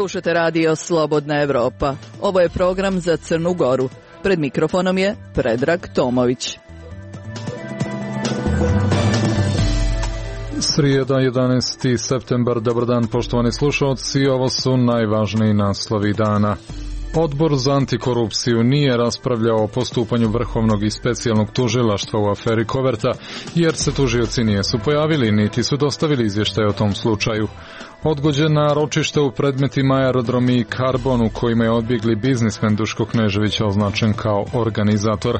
Slušate radio Slobodna Evropa. Ovo je program za Crnu Goru. Pred mikrofonom je Predrag Tomović. Srijeda, 11. septembar, dobar dan poštovani slušalci, ovo su najvažniji naslovi dana. Odbor za antikorupciju nije raspravljao o postupanju Vrhovnog i specijalnog tužilaštva u aferi Koverta, jer se tužioci nisu pojavili, niti su dostavili izvještaj o tom slučaju. Odgođena ročišta u predmetima Aerodromi i Karbon u kojima je odbjegli biznismen Duško Knežević označen kao organizator.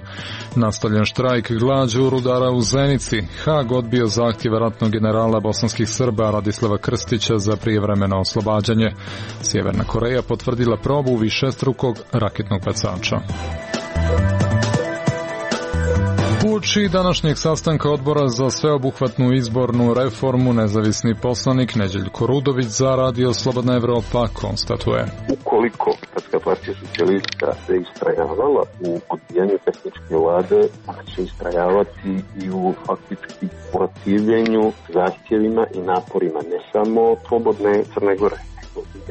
Nastavljen štrajk glađu rudara u Zenici. Hag odbio zahtjev ratnog generala bosanskih Srba Radislava Krstića za prijevremeno oslobađanje. Sjeverna Koreja potvrdila probu višestrukog raketnog bacača. Uoči današnjeg sastanka odbora za sveobuhvatnu izbornu reformu nezavisni poslanik Neđeljko Rudović za radio Slobodna Evropa konstatuje: ukoliko Hrvatska partija socijalista se istrajavala u odbijanju tehničke vlade, ona će istrajavati i u faktički protivljenju zahtjevima i naporima ne samo slobodne Crne Gore,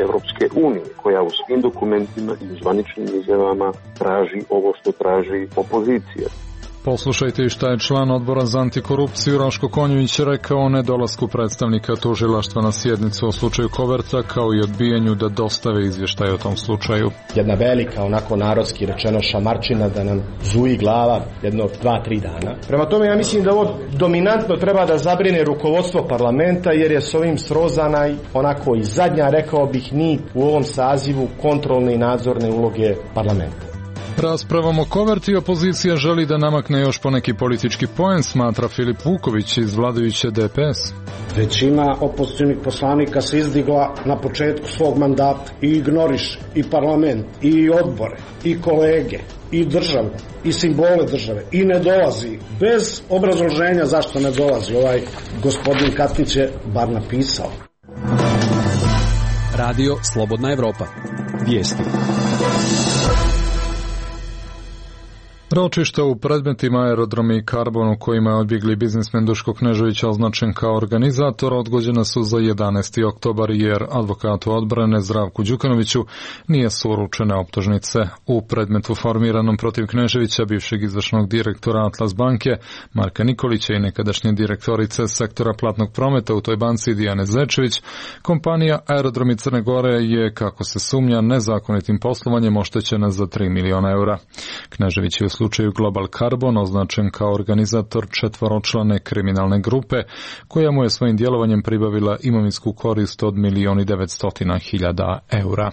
Evropske unije, koja u svim dokumentima i u zvaničnim izjavama traži ovo što traži opozicija. Poslušajte i šta je član odbora za antikorupciju Raško Konjović rekao o nedolasku predstavnika tužilaštva na sjednicu o slučaju Koverta, kao i odbijanju da dostave izvještaj o tom slučaju. Jedna velika, onako narodski rečeno, šamarčina da nam zuji glava jedno 2-3 dana. Prema tome ja mislim da ovo dominantno treba da zabrine rukovodstvo parlamenta, jer je s ovim srozana onako i zadnja, rekao bih, nit u ovom sazivu kontrolne i nadzorne uloge parlamenta. Raspravom o Koverti opozicija želi da namakne još poneki politički poen, smatra Filip Vuković iz vladajuće DPS. Većina opozicionih poslanika se izdigla na početku svog mandata i ignoriše i parlament, i odbore, i kolege, i državu, i simbole države, i ne dolazi bez obrazloženja zašto ne dolazi. Ovaj gospodin Katnić je bar napisao. Radio Slobodna Evropa. Vijesti. Ročišta u predmetima Aerodromi i Karbon u kojima je odbjegli biznismen Duško Knežević označen kao organizator odgođena su za 11. oktobar jer advokatu odbrane Zdravku Đukanoviću nije su uručene optužnice. U predmetu formiranom protiv Kneževića, bivšeg izvršnog direktora Atlas banke Marka Nikolića i nekadašnje direktorice sektora platnog prometa u toj banci Dijane Zečević, kompanija Aerodromi Crne Gore je, kako se sumnja, nezakonitim poslovanjem oštećena za 3 miliona eura. Knežević je u slučaju Global Carbon označen kao organizator 4-člane kriminalne grupe koja mu je svojim djelovanjem pribavila imovinsku korist od 1.900.000 eura.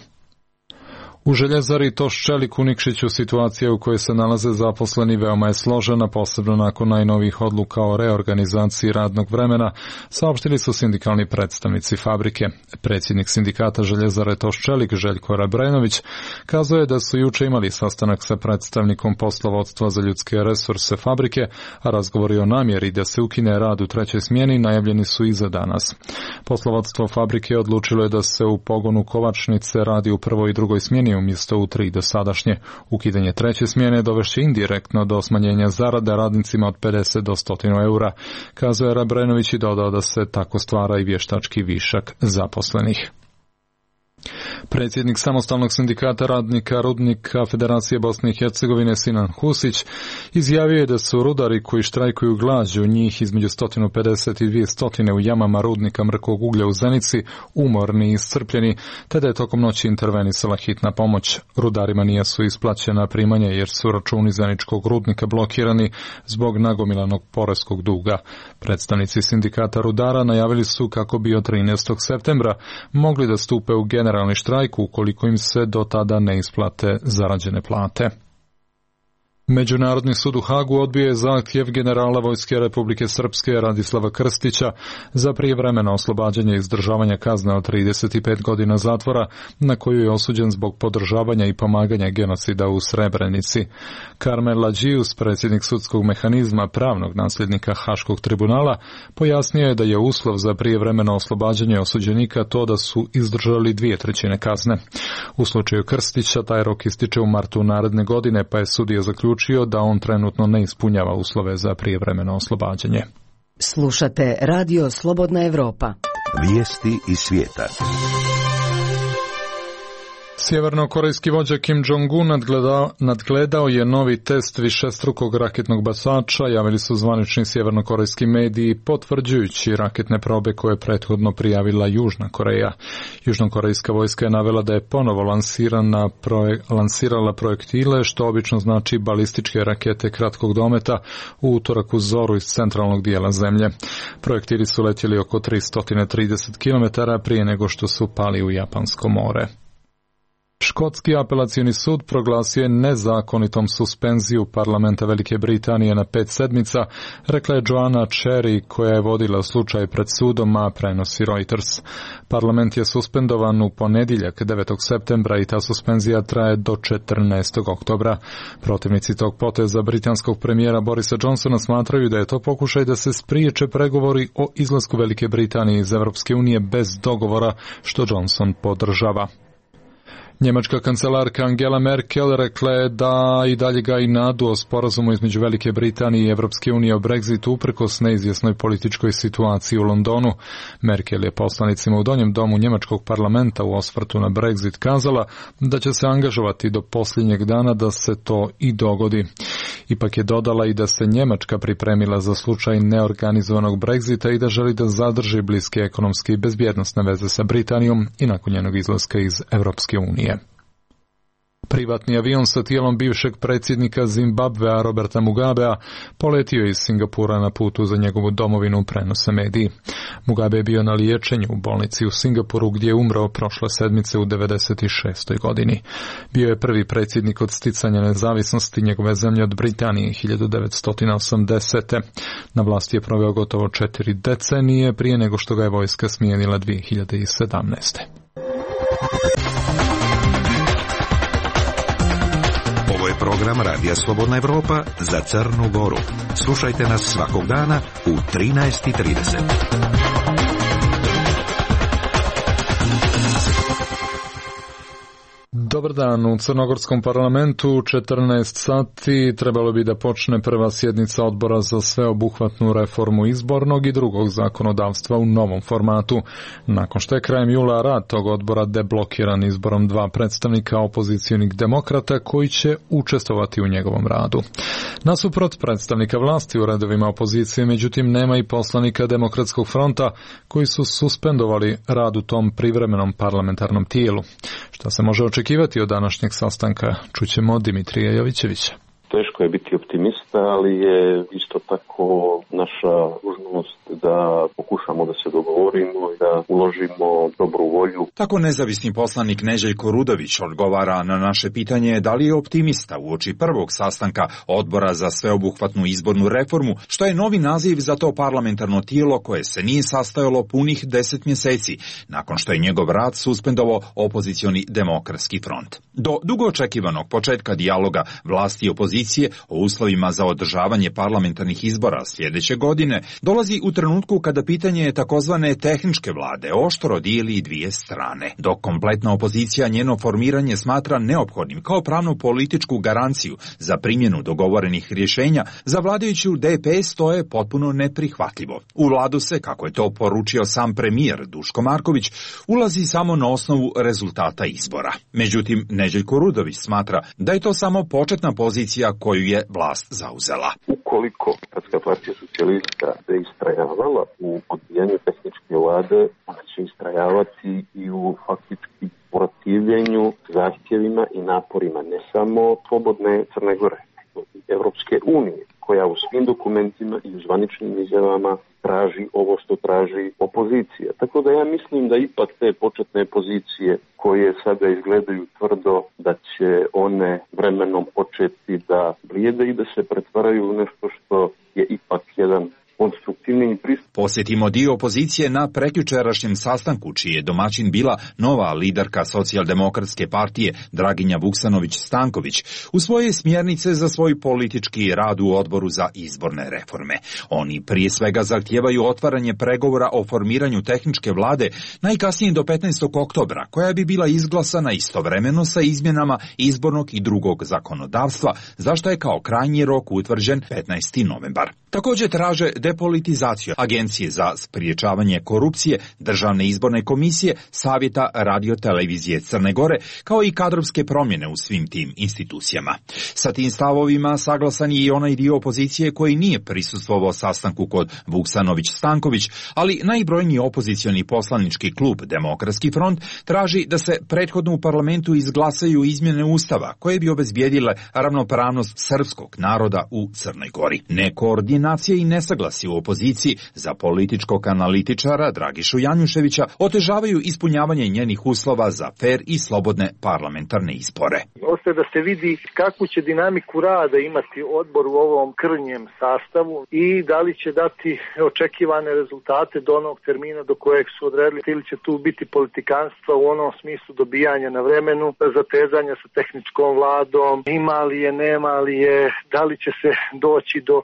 U željezari Toščelik u Nikšiću situacija u kojoj se nalaze zaposleni veoma je složena, posebno nakon najnovijih odluka o reorganizaciji radnog vremena, saopštili su sindikalni predstavnici fabrike. Predsjednik sindikata željezare Toščelik, Željko Rabrenović, kazuje da su juče imali sastanak sa predstavnikom poslovodstva za ljudske resurse fabrike, a razgovori o namjeri da se ukine rad u 3. smjeni najavljeni su i za danas. Poslovodstvo fabrike odlučilo je da se u pogonu kovačnice radi u 1. i 2. smjeni umjesto u 3 dosadašnje. Ukidanje 3. smjene dovešće indirektno do smanjenja zarada radnicima od 50 do 100 eura, kazuje Rabrenović i dodao da se tako stvara i vještački višak zaposlenih. Predsjednik samostalnog sindikata radnika rudnika Federacije Bosne i Hercegovine Sinan Husić izjavio je da su rudari koji štrajkuju glađu, njih između 150 i 200 u jamama rudnika mrkog uglja u Zenici, umorni i iscrpljeni, te da je tokom noći intervenisala hitna pomoć. Rudarima nije su isplaćena primanja jer su računi zeničkog rudnika blokirani zbog nagomilanog poreskog duga. Predstavnici sindikata rudara najavili su kako bi od 13. septembra mogli da stupe u generalni štrajk ukoliko im se do tada ne isplate zarađene plate. Međunarodni sud u Hagu odbio je zahtjev generala Vojske Republike Srpske Radislava Krstića za prijevremeno oslobađanje i izdržavanja kazne od 35 godina zatvora na koju je osuđen zbog podržavanja i pomaganja genocida u Srebrenici. Karmel Lađijus, predsjednik sudskog mehanizma pravnog nasljednika Haškog tribunala, pojasnio je da je uslov za prijevremeno oslobađanje osuđenika to da su izdržali 2/3 kazne. U slučaju Krstića taj rok ističe u martu naredne godine, pa je sudija zaključio da on trenutno ne ispunjava uslove za prijevremeno oslobađanje. Slušate Radio Slobodna Evropa. Vijesti iz svijeta. Sjevernokorejski vođa Kim Jong-un nadgledao je novi test višestrukog raketnog bacača, javili su zvanični sjevernokorejski mediji, potvrđujući raketne probe koje je prethodno prijavila Južna Koreja. Južnokorejska vojska je navela da je ponovo lansirala projektile, što obično znači balističke rakete kratkog dometa, u utorak u zoru iz centralnog dijela zemlje. Projektili su letjeli oko 330 km prije nego što su pali u Japansko more. Škotski apelacioni sud proglasio je nezakonitom suspenziju parlamenta Velike Britanije na 5 sedmica, rekla je Joanna Cherry, koja je vodila slučaj pred sudom, a prenosi Reuters. Parlament je suspendovan u ponedjeljak 9. septembra i ta suspenzija traje do 14. oktobra. Protivnici tog poteza britanskog premijera Borisa Johnsona smatraju da je to pokušaj da se spriječe pregovori o izlasku Velike Britanije iz Europske unije bez dogovora, što Johnson podržava. Njemačka kancelarka Angela Merkel rekla je da i dalje gaji nadu o sporazumu između Velike Britanije i Evropske unije o Brexitu uprkos neizvjesnoj političkoj situaciji u Londonu. Merkel je poslanicima u donjem domu njemačkog parlamenta u osvrtu na Brexit kazala da će se angažovati do posljednjeg dana da se to i dogodi. Ipak je dodala i da se Njemačka pripremila za slučaj neorganizovanog Brexita i da želi da zadrži bliske ekonomske i bezbjednosne veze sa Britanijom i nakon njenog izlaska iz Evropske unije. Privatni avion sa tijelom bivšeg predsjednika Zimbabvea Roberta Mugabea poletio iz Singapura na putu za njegovu domovinu, prenose mediji. Mugabe je bio na liječenju u bolnici u Singapuru gdje je umro prošle sedmice u 96. godini. Bio je prvi predsjednik od sticanja nezavisnosti njegove zemlje od Britanije 1980. Na vlasti je proveo gotovo 4 decenije prije nego što ga je vojska smijenila 2017. Ovo je program Radija Slobodna Evropa za Crnu Goru. Slušajte nas svakog dana u 13:30. Dobar dan, u Crnogorskom parlamentu u 14 sati trebalo bi da počne prva sjednica odbora za sveobuhvatnu reformu izbornog i drugog zakonodavstva u novom formatu. Nakon što je krajem jula rad tog odbora deblokiran izborom 2 predstavnika opozicionih demokrata koji će učestvovati u njegovom radu. Nasuprot predstavnika vlasti u redovima opozicije, međutim, nema i poslanika Demokratskog fronta koji su suspendovali rad u tom privremenom parlamentarnom tijelu. Šta se može očekivati od današnjeg sastanka, čućemo od Dimitrija Jovićevića. Teško je biti optimista, ali je isto tako naša dužnost da pokušamo da se dogovorimo i da uložimo dobru volju. Tako nezavisni poslanik Neželjko Rudović odgovara na naše pitanje da li je optimista uoči prvog sastanka odbora za sveobuhvatnu izbornu reformu, što je novi naziv za to parlamentarno tijelo koje se nije sastajalo punih 10 mjeseci, nakon što je njegov rad suspendovao opozicioni Demokratski front. Do dugo očekivanog početka dijaloga vlasti i opozicije o uslovima za održavanje parlamentarnih izbora sljedeće godine dolazi u trenutku kada pitanje takozvane tehničke vlade oštro dijeli dvije strane, dok kompletna opozicija njeno formiranje smatra neophodnim kao pravnu političku garanciju za primjenu dogovorenih rješenja, za vladajuću DPS to je potpuno neprihvatljivo. U vladu se, kako je to poručio sam premijer Duško Marković, ulazi samo na osnovu rezultata izbora. Međutim, Neželjko Rudović smatra da je to samo početna pozicija koju je vlast zauzela. Ukoliko Hrvatska partija socijalista se istrajavala u odbijanju tehničke vlade, ona će istrajavati i u faktički protivljenju zahtjevima i naporima ne samo slobodne Crne Gore, nego i Evropske unije, koja u svim dokumentima i u zvaničnim izjavama traži ovo što traži opozicija. Tako da ja mislim da ipak te početne pozicije koje sada izgledaju tvrdo, da će one vremenom početi da blijede i da se pretvaraju u nešto što je ipak jedan konstruktivni pristup. Posjetimo dio opozicije na prekjučerašnjem sastanku, čiji je domaćin bila nova liderka Socijaldemokratske partije Draginja Vuksanović-Stanković u svoje smjernice za svoj politički rad u odboru za izborne reforme. Oni prije svega zahtijevaju otvaranje pregovora o formiranju tehničke vlade najkasnije do 15. oktobra, koja bi bila izglasana istovremeno sa izmjenama izbornog i drugog zakonodavstva, za što je kao krajnji rok utvrđen 15. novembar. Također traže depolitizaciju Agencije za spriječavanje korupcije, Državne izborne komisije, Savjeta radiotelevizije Crne Gore, kao i kadrovske promjene u svim tim institucijama. Sa tim stavovima saglasan je i onaj dio opozicije koji nije prisustvovao sastanku kod Vuksanović-Stanković, ali najbrojniji opozicioni poslanički klub Demokratski front traži da se prethodno u parlamentu izglasaju izmjene Ustava koje bi obezbijedile ravnopravnost srpskog naroda u Crnoj Gori. Nekoordinacija i nesaglasi u opoziciji za političkog analitičara Dragišu Janjuševića otežavaju ispunjavanje njenih uslova za fer i slobodne parlamentarne izbore. Ostaje da se vidi kakvu će dinamiku rada imati odbor u ovom krnjem sastavu i da li će dati očekivane rezultate do onog termina do kojeg su odredili, ili će tu biti politikanstva u onom smislu dobijanja na vremenu, zatezanja sa tehničkom vladom, ima li je, nema li je, da li će se doći do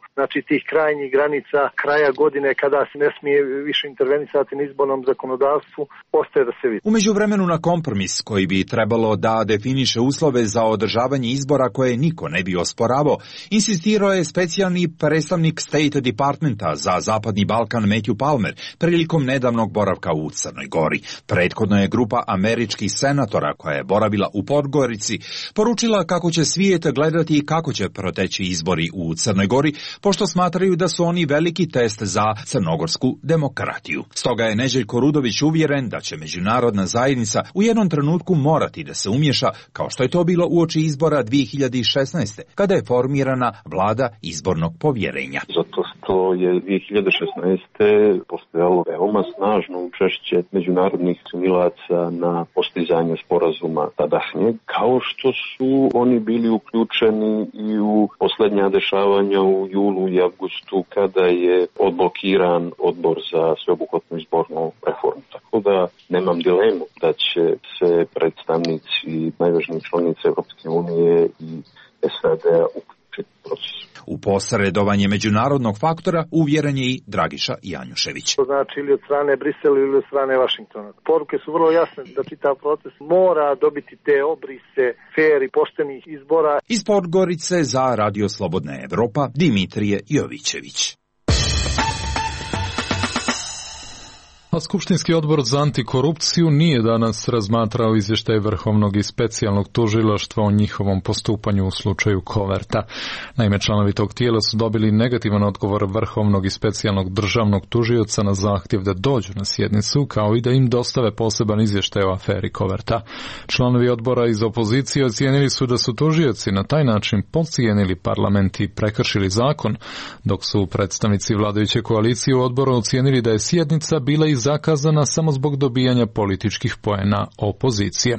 tih krajnjih granica kraja godine kada se ne smije više intervenisati na izbornom zakonodavstvu, ostaje da se vidi. U međuvremenu na kompromis koji bi trebalo da definiše uslove za održavanje izbora koje niko ne bi osporavao, insistirao je specijalni predstavnik State Departmenta za Zapadni Balkan Matthew Palmer prilikom nedavnog boravka u Crnoj Gori. Prethodno je grupa američkih senatora koja je boravila u Podgorici poručila kako će svijet gledati i kako će proteći izbori u Crnoj Gori, pošto smatraju da su oni veliki test za crnogorsku demokratiju. Stoga je Neželjko Rudović uvjeren da će međunarodna zajednica u jednom trenutku morati da se umješa, kao što je to bilo uoči izbora 2016. kada je formirana vlada izbornog povjerenja. Zato što je 2016. postojalo veoma snažno učešće međunarodnih činilaca na postizanje sporazuma tadašnjeg, kao što su oni bili uključeni i u posljednja dešavanja u julu i avgustu kada je odblokiran odbor za sveobuhvatnu izbornu reformu. Tako da nemam dilemu da će se predstavnici najvažnijih članica Europske unije i SAD-a uključiti u proces. U posredovanje međunarodnog faktora uvjeren je i Dragiša Janjušević. To znači ili od strane Brisela ili od strane Vašingtona. Poruke su vrlo jasne da čitav proces mora dobiti te obrise fer i poštenih izbora. Iz Podgorice za Radio Slobodna Evropa Dimitrije Jovićević. A Skupštinski odbor za antikorupciju nije danas razmatrao izvještaj Vrhovnog i specijalnog tužilaštva o njihovom postupanju u slučaju Koverta. Naime, članovi tog tijela su dobili negativan odgovor Vrhovnog i specijalnog državnog tužioca na zahtjev da dođu na sjednicu, kao i da im dostave poseban izvještaj o aferi Koverta. Članovi odbora iz opozicije ocijenili su da su tužioci na taj način podcijenili parlament i prekršili zakon, dok su predstavnici vladajuće koalicije u odboru ocijenili da je sjednica bila i zakazana samo zbog dobijanja političkih poena opozicije.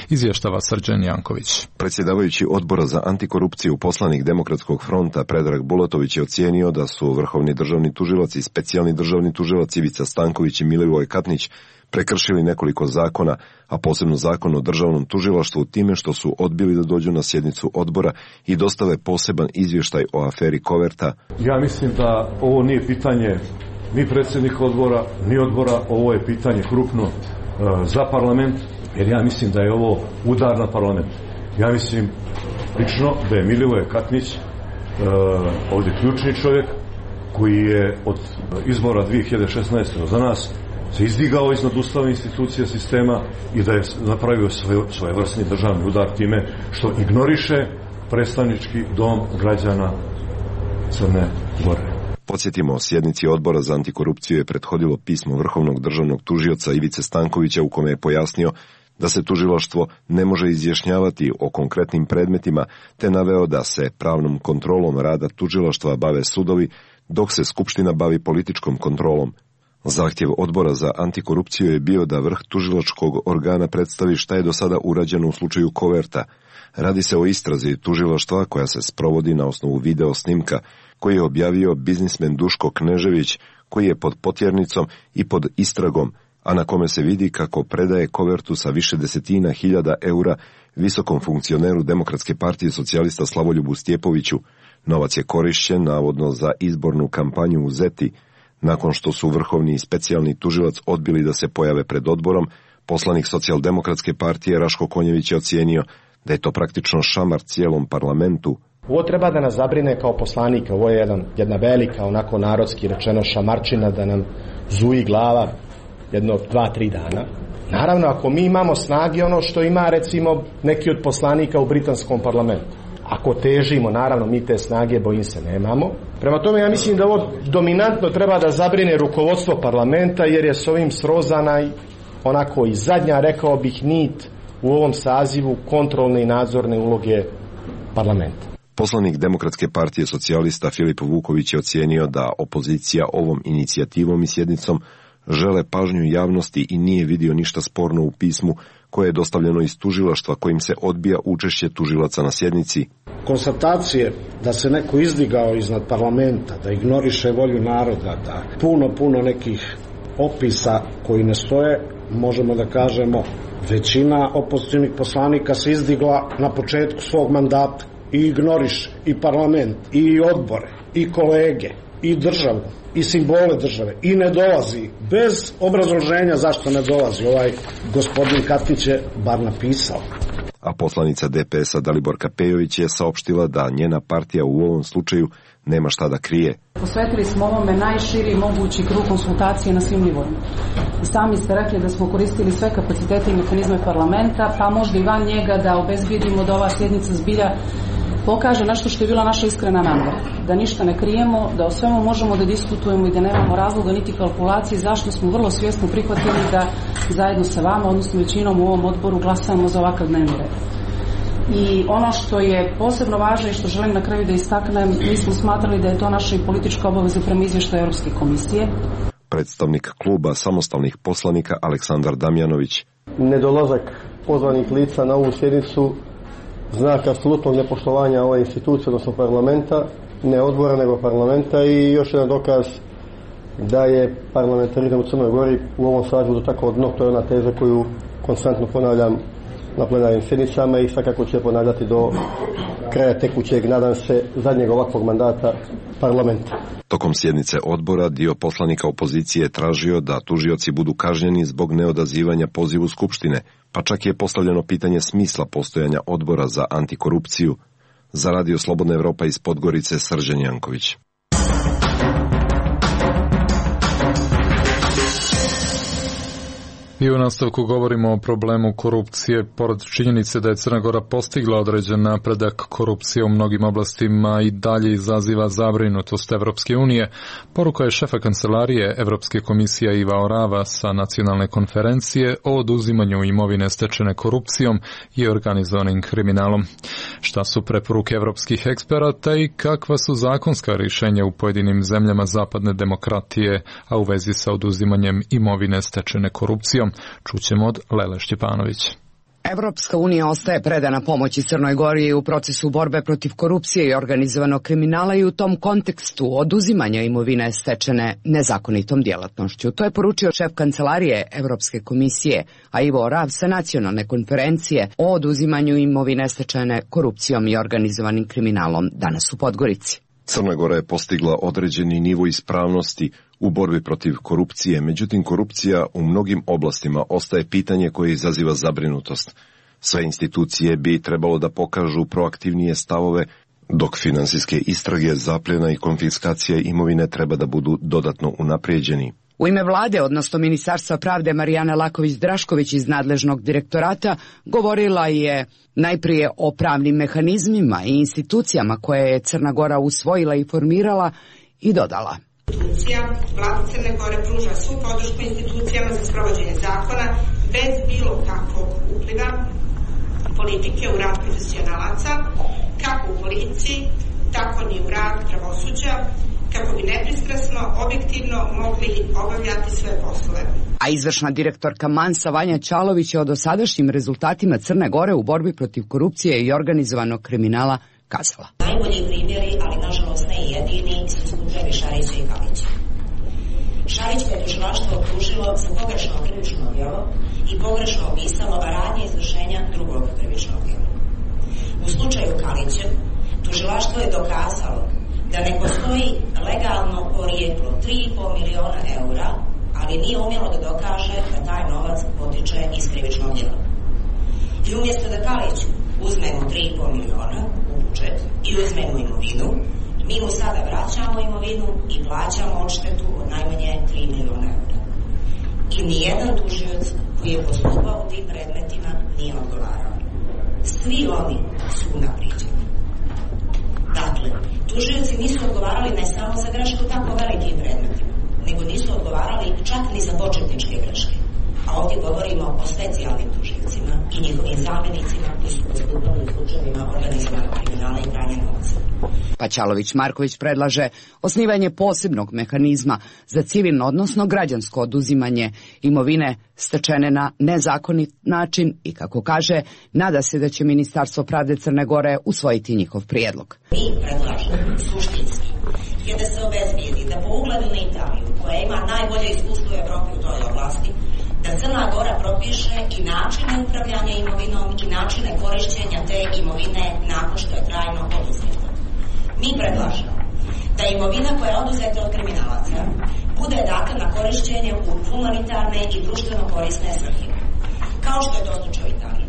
Izvještava Srđan Janković. Predsjedavajući odbora za antikorupciju poslanik Demokratskog fronta Predrag Bulatović je ocijenio da su vrhovni državni tužilac i specijalni državni tužilac Ivica Stanković i Milivoj Katnić prekršili nekoliko zakona, a posebno zakon o državnom tužilaštvu time što su odbili da dođu na sjednicu odbora i dostave poseban izvještaj o aferi Koverta. Ja mislim da ovo nije pitanje ni predsjednik odbora, ni odbora, ovo je pitanje krupno za parlament, jer ja mislim da je ovo udar na parlament. Ja mislim lično da je Milivoje Katnić ovdje ključni čovjek koji je od izbora 2016. za nas se izdigao iznad ustavne institucije sistema i da je napravio svojevrsni državni udar time što ignoriše predstavnički dom građana Crne Gore. Podsjetimo, sjednici odbora za antikorupciju je prethodilo pismo Vrhovnog državnog tužioca Ivice Stankovića u kome je pojasnio da se tužilaštvo ne može izjašnjavati o konkretnim predmetima, te naveo da se pravnom kontrolom rada tužilaštva bave sudovi, dok se Skupština bavi političkom kontrolom. Zahtjev odbora za antikorupciju je bio da vrh tužilačkog organa predstavi šta je do sada urađeno u slučaju Koverta. Radi se o istrazi tužilaštva koja se sprovodi na osnovu video snimka koji je objavio biznismen Duško Knežević, koji je pod potjernicom i pod istragom, a na kome se vidi kako predaje kovertu sa više desetina hiljada eura visokom funkcioneru Demokratske partije socijalista Slavoljubu Stjepoviću. Novac je korišćen navodno za izbornu kampanju u Zeti. Nakon što su vrhovni i specijalni tužilac odbili da se pojave pred odborom, poslanik Socijaldemokratske partije Raško Konjević je ocijenio da je to praktično šamar cijelom parlamentu. Ovo treba da nas zabrine kao poslanike, ovo je jedna velika, onako narodski rečeno šamarčina da nam zuji glava jedno 2-3 dana. Naravno, ako mi imamo snage ono što ima recimo neki od poslanika u britanskom parlamentu, ako težimo, naravno mi te snage bojim se nemamo. Prema tome ja mislim da ovo dominantno treba da zabrine rukovodstvo parlamenta jer je s ovim srozana onako i zadnja, rekao bih, nit u ovom sazivu kontrolne i nadzorne uloge parlamenta. Poslanik Demokratske partije socijalista Filip Vuković je ocijenio da opozicija ovom inicijativom i sjednicom žele pažnju javnosti i nije vidio ništa sporno u pismu koje je dostavljeno iz tužilaštva kojim se odbija učešće tužilaca na sjednici. Konstatacije da se neko izdigao iznad parlamenta, da ignoriše volju naroda, da puno nekih opisa koji ne stoje, možemo da kažemo većina opozicionih poslanika se izdigla na početku svog mandata i ignoriše i parlament, i odbore, i kolege, i državu, i simbole države, i ne dolazi bez obrazloženja zašto ne dolazi. Ovaj gospodin Katnić je bar napisao. A poslanica DPS-a Daliborka Pejović je saopštila da njena partija u ovom slučaju nema šta da krije. Posvetili smo ovome najširi mogući krug konsultacije na svim nivoima. I sami ste rekli da smo koristili sve kapacitete i mehanizme parlamenta, pa možda i van njega da obezbedimo da ova sjednica zbilja pokaže nešto što je bila naša iskrena namera. Da ništa ne krijemo, da o svemu možemo da diskutujemo i da nemamo razloga niti kalkulacije zašto smo vrlo svjesno prihvatili da zajedno sa vama, odnosno većinom u ovom odboru, glasamo za ovakav dnevni red. I ono što je posebno važno i što želim na kraju da istaknem, mi smo smatrali da je to naša i politička obaveza prema izvještaju Europske komisije. Predstavnik kluba samostalnih poslanika Aleksandar Damjanović. Nedolazak pozvanih lica na ovu sjednicu znak apsolutnog nepoštovanja ove institucije, odnosno parlamenta, ne odbora nego parlamenta, i još jedan dokaz da je parlamentarizam u Crnoj Gori u ovom sazivu do tako dno. To je ona teza koju konstantno ponavljam na plenarnim sjednicama i svakako će ponavljati do kraja tekućeg, nadam se, zadnjeg ovakvog mandata parlamenta. Tokom sjednice odbora dio poslanika opozicije je tražio da tužioci budu kažnjeni zbog neodazivanja pozivu Skupštine, pa čak je postavljeno pitanje smisla postojanja odbora za antikorupciju. Za Radio Slobodna Evropa iz Podgorice, Srđan Janković. I u nastavku govorimo o problemu korupcije. Pored činjenice da je Crna Gora postigla određen napredak, korupcija u mnogim oblastima i dalje izaziva zabrinutost Evropske unije. Poruka je šefa kancelarije Evropske komisije Iva Orava sa nacionalne konferencije o oduzimanju imovine stečene korupcijom i organizovanim kriminalom. Šta su preporuke evropskih eksperata i kakva su zakonska rješenja u pojedinim zemljama zapadne demokratije, a u vezi sa oduzimanjem imovine stečene korupcijom? Čućemo od Lele Šćepanović. Evropska unija ostaje predana pomoći Crnoj Gori u procesu borbe protiv korupcije i organizovanog kriminala i u tom kontekstu oduzimanja imovine stečene nezakonitom djelatnošću. To je poručio šef kancelarije Evropske komisije, a Ivo Orav sa nacionalne konferencije o oduzimanju imovine stečene korupcijom i organizovanim kriminalom danas u Podgorici. Crna Gora je postigla određeni nivo ispravnosti u borbi protiv korupcije, međutim korupcija u mnogim oblastima ostaje pitanje koje izaziva zabrinutost. Sve institucije bi trebalo da pokažu proaktivnije stavove, dok finansijske istrage, zapljena i konfiskacija imovine treba da budu dodatno unaprijeđeni. U ime vlade, odnosno Ministarstva pravde, Marijana Laković-Drašković iz nadležnog direktorata govorila je najprije o pravnim mehanizmima i institucijama koje je Crna Gora usvojila i formirala i dodala. Vlada Crne Gore pruža svu podršku institucijama za sprovođenje zakona bez bilo kakvog upliva politike u rad profesionalaca, kako u policiji, tako ni u rad pravosuđa, kako bi nepristrasno, objektivno mogli obavljati svoje poslove. A izvršna direktorka Mansa Vanja Čalović je o dosadašnjim rezultatima Crne Gore u borbi protiv korupcije i organizovanog kriminala kazala. Najbolji primjeri, ali nažalost ne jedini, su slučajevi Šarića i Kalića. Šarić je tužilaštvo optužilo za pogrešno krivično djelo i pogrešno opisalo radnje izvršenja drugog krivičnog djela. U slučaju Kalića tužilaštvo je dokazalo da ne postoji legalno porijeklo 3,5 miliona eura, ali nije umjelo da dokaže da taj novac potiče iz krivičnog djela. I umjesto da Kaliću uzmemo 3,5 miliona u budžet i uzmemo imovinu, mi mu sada vraćamo imovinu i plaćamo odštetu od najmanje 3 miliona eura. I nijedan tužioc koji je postupao u tim predmetima nije odgovarao. Svi oni su unapriđeni. Dakle, tužioci nisu odgovarali ne samo za grešku tako velikim predmetima, nego nisu odgovarali čak ni za početničke greške. A ovdje govorimo o specijalnim tužiocima i njihovim zamjenicima koji su postupali u slučajevima organizovanog kriminala i pranja novca. Paćalović-Marković predlaže osnivanje posebnog mehanizma za civilno, odnosno građansko oduzimanje imovine stečene na nezakonit način i, kako kaže, nada se da će Ministarstvo pravde Crne Gore usvojiti njihov prijedlog. Mi predlažemo suštinski je da se obezbijedi da po ugledu na Italiju, koja ima najbolje iskustvo u Evropi u toj oblasti, da Crna Gora propiše i načine upravljanja imovinom i načine korišćenja te imovine nakon što je trajno oduzeta. Mi predlažemo da imovina koja je oduzeta od kriminalaca bude data na korišćenje u humanitarne i društveno korisne svrhe, kao što je to slučaj u Italiji.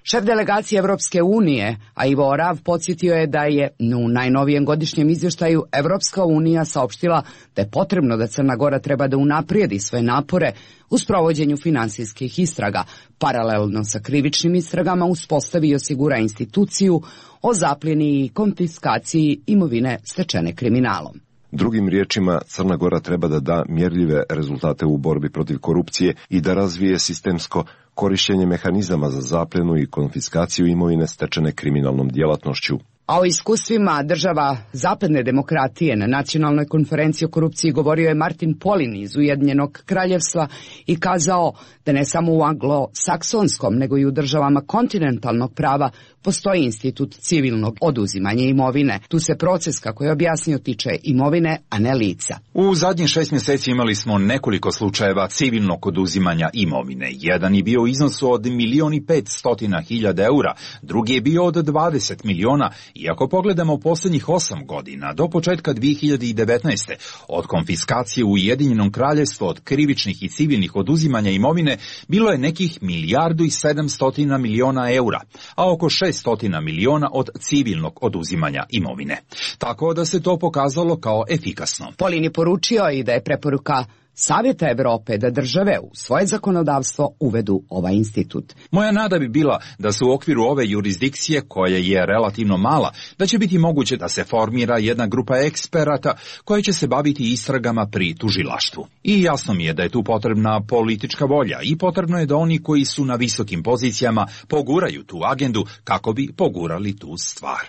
Šef delegacije Evropske unije, a Ivo Orav, podsjetio je da je u najnovijem godišnjem izvještaju Evropska unija saopštila da je potrebno da Crna Gora treba da unaprijedi svoje napore u sprovođenju finansijskih istraga, paralelno sa krivičnim istragama uspostavi i osigura instituciju o zapljeni i konfiskaciji imovine stečene kriminalom. Drugim riječima, Crna Gora treba da da mjerljive rezultate u borbi protiv korupcije i da razvije sistemsko korištenje mehanizama za zapljenu i konfiskaciju imovine stečene kriminalnom djelatnošću. A o iskustvima država zapadne demokratije na nacionalnoj konferenciji o korupciji govorio je Martin Polin iz Ujedinjenog kraljevstva i kazao da ne samo u anglosaksonskom, nego i u državama kontinentalnog prava postoji institut civilnog oduzimanja imovine. Tu se proces, kako je objasnio, tiče imovine, a ne lica. U zadnjih 6 mjeseci imali smo nekoliko slučajeva civilnog oduzimanja imovine. Jedan je bio u iznosu od 1.500.000 eura, drugi je bio od 20 miliona. I ako pogledamo posljednjih 8 godina, do početka 2019. od konfiskacije u Ujedinjenom kraljevstvu od krivičnih i civilnih oduzimanja imovine bilo je nekih 1.700.000.000 eura, a oko 600 miliona od civilnog oduzimanja imovine. Tako da se to pokazalo kao efikasno. Polin je poručio i da je preporuka Savjeta Evrope da države u svoje zakonodavstvo uvedu ovaj institut. Moja nada bi bila da se u okviru ove jurisdikcije, koja je relativno mala, da će biti moguće da se formira jedna grupa eksperata koja će se baviti istragama pri tužilaštvu. I jasno mi je da je tu potrebna politička volja i potrebno je da oni koji su na visokim pozicijama poguraju tu agendu kako bi pogurali tu stvar.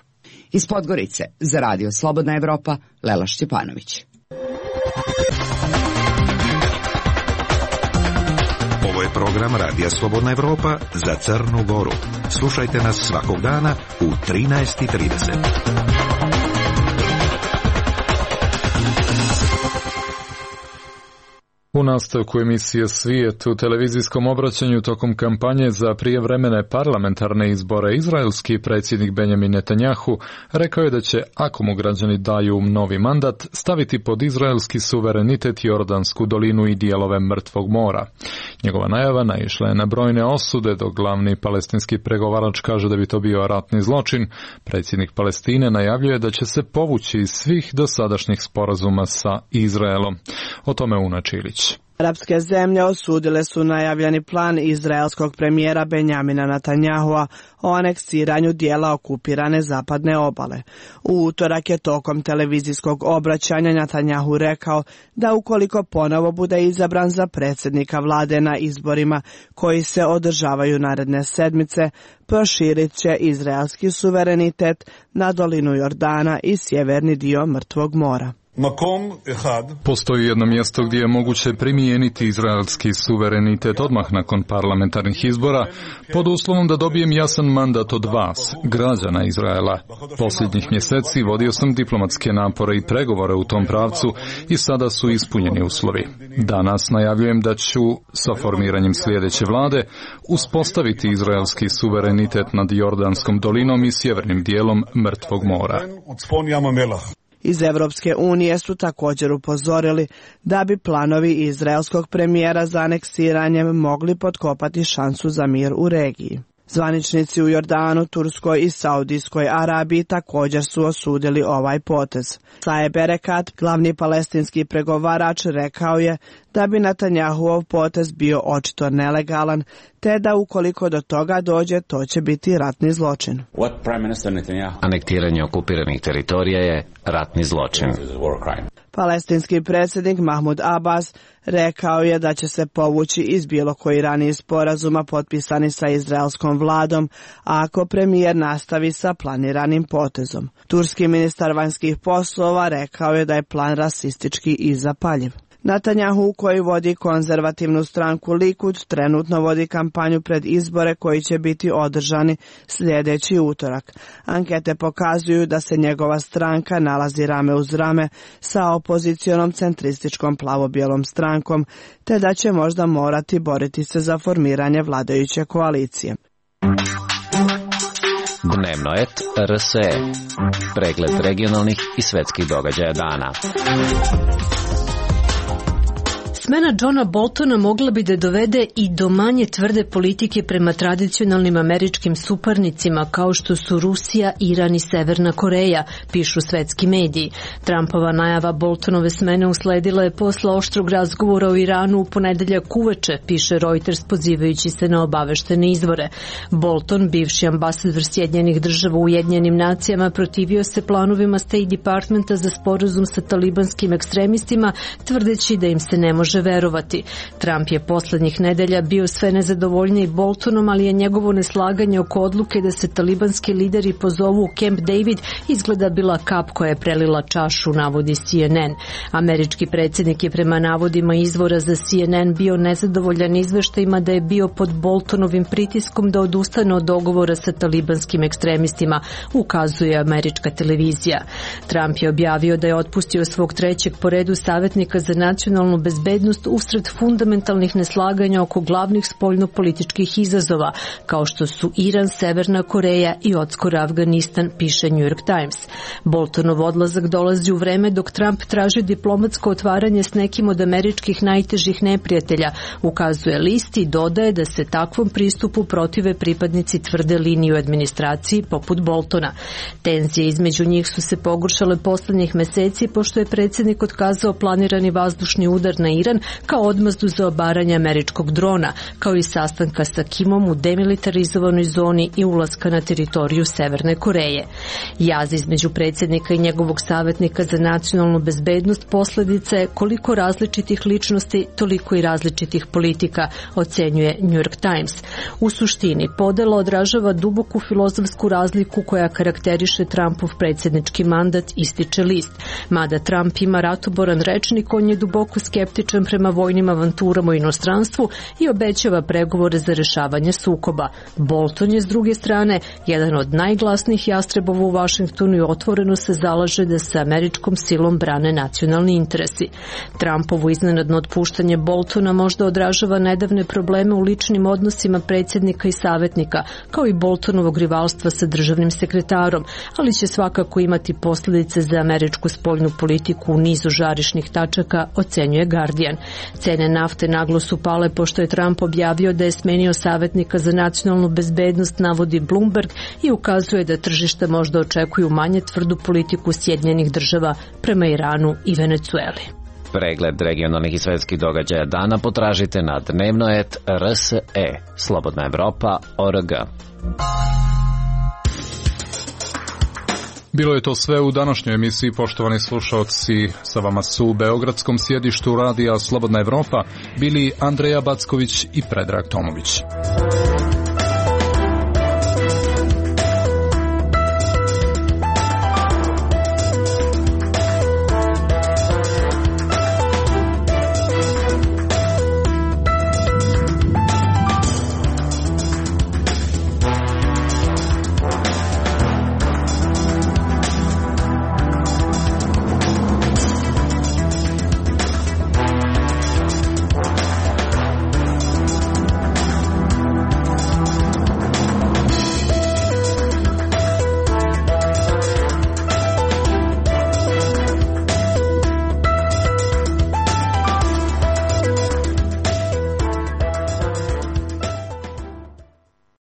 Iz Podgorice za Radio Slobodna Evropa, Lela Šćepanović. Ovo je program Radija Slobodna Evropa za Crnu Goru. Slušajte nas svakog dana u 13:30. U nastavku emisije Svijet u televizijskom obraćanju tokom kampanje za prijevremene parlamentarne izbore izraelski predsjednik Benjamin Netanjahu rekao je da će, ako mu građani daju novi mandat, staviti pod izraelski suverenitet Jordansku dolinu i dijelove Mrtvog mora. Njegova najava naišla je na brojne osude, dok glavni palestinski pregovarač kaže da bi to bio ratni zločin. Predsjednik Palestine najavljuje da će se povući iz svih dosadašnjih sporazuma sa Izraelom. O tome Una Čilić. Arapske zemlje osudile su najavljeni plan izraelskog premijera Benjamina Netanjahua o aneksiranju dijela okupirane zapadne obale. U utorak je tokom televizijskog obraćanja Netanjahu rekao da ukoliko ponovo bude izabran za predsjednika vlade na izborima koji se održavaju naredne sedmice, proširit će izraelski suverenitet na dolinu Jordana i sjeverni dio Mrtvog mora. Postoji jedno mjesto gdje je moguće primijeniti izraelski suverenitet odmah nakon parlamentarnih izbora, pod uslovom da dobijem jasan mandat od vas, građana Izraela. Posljednjih mjeseci vodio sam diplomatske napore i pregovore u tom pravcu i sada su ispunjeni uslovi. Danas najavljujem da ću, sa formiranjem sljedeće vlade, uspostaviti izraelski suverenitet nad Jordanskom dolinom i sjevernim dijelom Mrtvog mora. Iz Evropske unije su također upozorili da bi planovi izraelskog premijera za aneksiranjem mogli potkopati šansu za mir u regiji. Zvaničnici u Jordanu, Turskoj i Saudijskoj Arabiji također su osudili ovaj potez. Saeb Erekat, glavni palestinski pregovarač, rekao je da bi Netanjahuov potez bio očito nelegalan, te da ukoliko do toga dođe, to će biti ratni zločin. Anektiranje okupiranih teritorija je ratni zločin. Palestinski predsjednik Mahmud Abbas rekao je da će se povući iz bilo koji raniji sporazuma potpisani sa izraelskom vladom, ako premijer nastavi sa planiranim potezom. Turski ministar vanjskih poslova rekao je da je plan rasistički i zapaljiv. Netanjahu, koji vodi konzervativnu stranku Likud, trenutno vodi kampanju pred izbore koji će biti održani sljedeći utorak. Ankete pokazuju da se njegova stranka nalazi rame uz rame sa opozicionom centrističkom plavo-bijelom strankom, te da će možda morati boriti se za formiranje vladajuće koalicije. Dnevnoet RSE. Pregled regionalnih i svetskih događaja dana. Smena Johna Boltona mogla bi da dovede i do manje tvrde politike prema tradicionalnim američkim suparnicima kao što su Rusija, Iran i Severna Koreja, pišu svetski mediji. Trumpova najava Boltonove smene usledila je posle oštrog razgovora o Iranu u ponedeljak uveče, piše Reuters pozivajući se na obaveštene izvore. Bolton, bivši ambasador Sjedinjenih Država u Ujedinjenim nacijama, protivio se planovima State Departmenta za sporazum sa talibanskim ekstremistima, tvrdeći da im se ne može verovati. Trump je poslednjih nedelja bio sve nezadovoljniji Boltonom, ali je njegovo neslaganje oko odluke da se talibanski lideri pozovu u Camp David izgleda bila kap koja je prelila čašu, navodi CNN. Američki predsjednik je prema navodima izvora za CNN bio nezadovoljan izveštajima da je bio pod Boltonovim pritiskom da odustane od dogovora sa talibanskim ekstremistima, ukazuje američka televizija. Trump je objavio da je otpustio svog trećeg po redu savjetnika za nacionalnu bezbednost usred fundamentalnih neslaganja oko glavnih spoljnopolitičkih izazova, kao što su Iran, Severna Koreja i odskoro Afganistan, piše New York Times. Boltonov odlazak dolazi u vreme dok Trump traži diplomatsko otvaranje s nekim od američkih najtežih neprijatelja, ukazuje list i dodaje da se takvom pristupu protive pripadnici tvrde linije u administraciji poput Boltona. Tenzije između njih su se pogoršale poslednjih meseci pošto je predsjednik otkazao planirani vazdušni udar na Iran kao odmazdu za obaranje američkog drona, kao i sastanka sa Kimom u demilitarizovanoj zoni i ulaska na teritoriju Severne Koreje. Jaz između predsjednika i njegovog savjetnika za nacionalnu bezbednost posljedica je koliko različitih ličnosti, toliko i različitih politika, ocenjuje New York Times. U suštini, podela odražava duboku filozofsku razliku koja karakteriše Trumpov predsjednički mandat, ističe list. Mada Trump ima ratoboran rečnik, on je duboko skeptičan prema vojnim avanturama u inostranstvu i obećava pregovore za rešavanje sukoba. Bolton je s druge strane jedan od najglasnijih jastrebova u Vašingtonu i otvoreno se zalaže da se američkom silom brane nacionalni interesi. Trumpovo iznenadno otpuštanje Boltona možda odražava nedavne probleme u ličnim odnosima predsjednika i savjetnika, kao i Boltonovog rivalstva sa državnim sekretarom, ali će svakako imati posljedice za američku spoljnu politiku u nizu žarišnih tačaka, ocenjuje Guardian. Cene nafte naglo su pale pošto je Trump objavio da je smenio savjetnika za nacionalnu bezbednost, navodi Bloomberg, i ukazuje da tržište možda očekuju manje tvrdu politiku Sjedinjenih Država prema Iranu i Venecueli. Pregled regionalnih i svetskih događaja dana potražite na Dnevnoet RSE, Slobodna Evropa.org. Bilo je to sve u današnjoj emisiji, poštovani slušalci. Sa vama su u beogradskom sjedištu radija Slobodna Evropa bili Andreja Backović i Predrag Tomović.